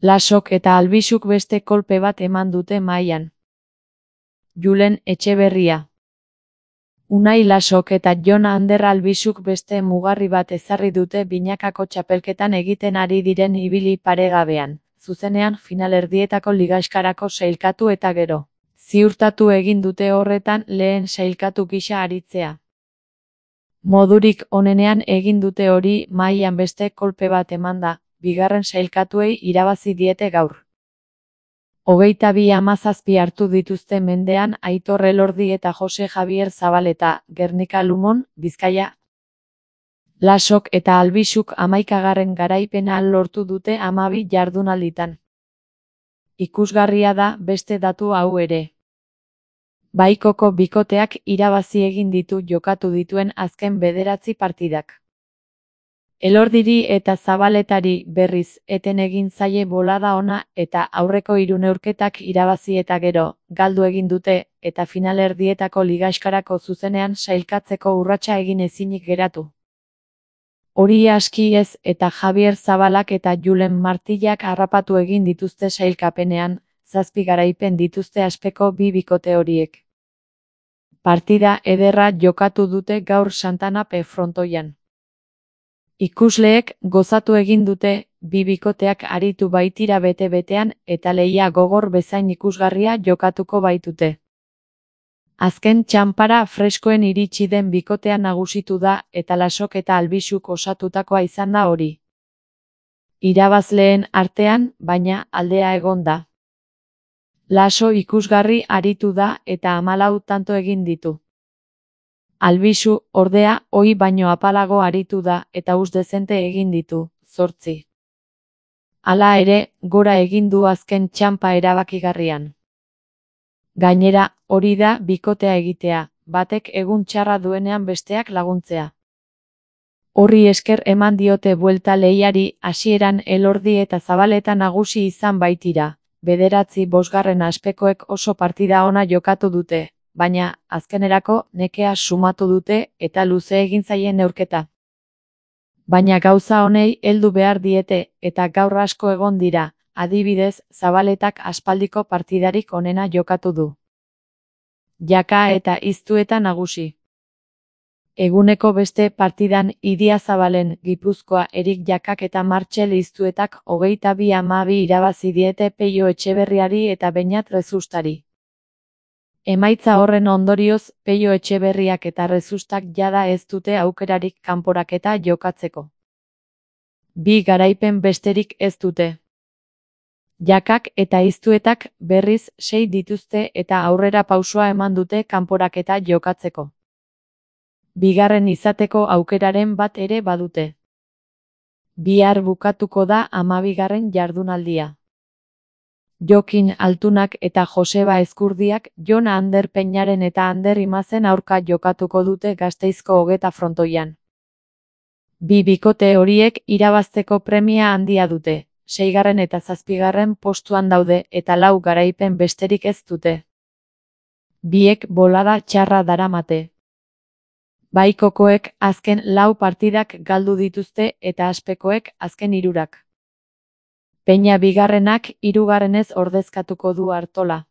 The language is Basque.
Lasok eta Albixuk beste kolpe bat eman dute mahaian. Julen Etxeberria. Unai Lasok eta Jon Ander Albixuk beste mugarri bat ezarri dute binakako txapelketan egiten ari diren ibili paregabean, zuzenean finalerdietako ligaxkarako sailkatu eta gero. Ziurtatu egin dute horretan lehen sailkatu gisa aritzea. Modurik onenean egin dute hori mahaian beste kolpe bat emanda, bigarren sailkatuei irabazi diete gaur. 22-17 hartu dituzte mendean Aitor Elordi eta Jose Javier Zabaleta, Gernika Lumon, Bizkaia. Lasok eta Albixuk 11. garaipena lortu dute 12 jardunalditan. Ikusgarria da beste datu hau ere. Baikoko bikoteak irabazi egin ditu jokatu dituen azken 9 partidak. Elordiri eta Zabaletari berriz eten egin zaie bolada ona eta aurreko 3 neurketak irabazi eta gero, galdu egin dute, eta finalerdietako ligaxkarako zuzenean sailkatzeko urratsa egin ezinik geratu. Hori aski ez eta Javier Zabalak eta Julen Martillak harrapatu egin dituzte sailkapenean, 7 garaipen dituzte aspeko bi bikote horiek. Partida ederra jokatu dute gaur Santana P frontoian. Ikusleek gozatu egin dute, bi bikoteak aritu baitira bete-betean eta lehia gogor bezain ikusgarria jokatuko baitute. Azken txanpara freskoen iritsi den bikotea nagusitu da eta Lasok eta Albixuk osatutakoa izan da hori. Irabazleen artean, baina, aldea egon da. Laso ikusgarri aritu da eta 14 tanto egin ditu. Albixu, ordea, ohi baino apalago aritu da eta dezente egin ditu, 8. Hala ere, gora egin du azken txanpa erabakigarrian. Gainera, hori da bikotea egitea, batek egun txarra duenean besteak laguntzea. Horri esker eman diote buelta lehiari, hasieran Elordi eta Zabaleta nagusi izan baitira. 9-5 aspekoek oso partida ona jokatu dute, baina, azkenerako, nekea sumatu dute eta luze egin zaien neurketa. Baina gauza honei heldu behar diete eta gaur asko egon dira, adibidez, Zabaletak aspaldiko partidarik onena jokatu du. Jaka eta Iztueta nagusi. Eguneko beste partidan Idiazabalen, Gipuzkoa, Erik Jakak eta Martxel Iztuetak 22-12 irabazi diete Peio Etxeberriari eta Beñat Rezustari. Emaitza horren ondorioz, Peio Etxeberriak eta Rezustak jada ez dute aukerarik kanporaketa jokatzeko. 2 garaipen besterik ez dute. Jakak eta Iztuetak berriz 6 dituzte eta aurrera pausoa eman dute kanporaketa jokatzeko. Bigarren izateko aukeraren bat ere badute. Bihar bukatuko da 12. jardunaldia. Jokin Altunak eta Joseba Ezkurdiak Jon Ander Peñaren eta Ander Imazen aurka jokatuko dute Gasteizko hogeta frontoian. Bi bikote horiek irabazteko premia handia dute, 6. eta 7. postuan daude eta 4 garaipen besterik ez dute. Biek bolada txarra daramate. Baikokoek azken 4 partidak galdu dituzte eta aspekoek azken 3. Peña bigarrenak 3. ordezkatuko du Artola.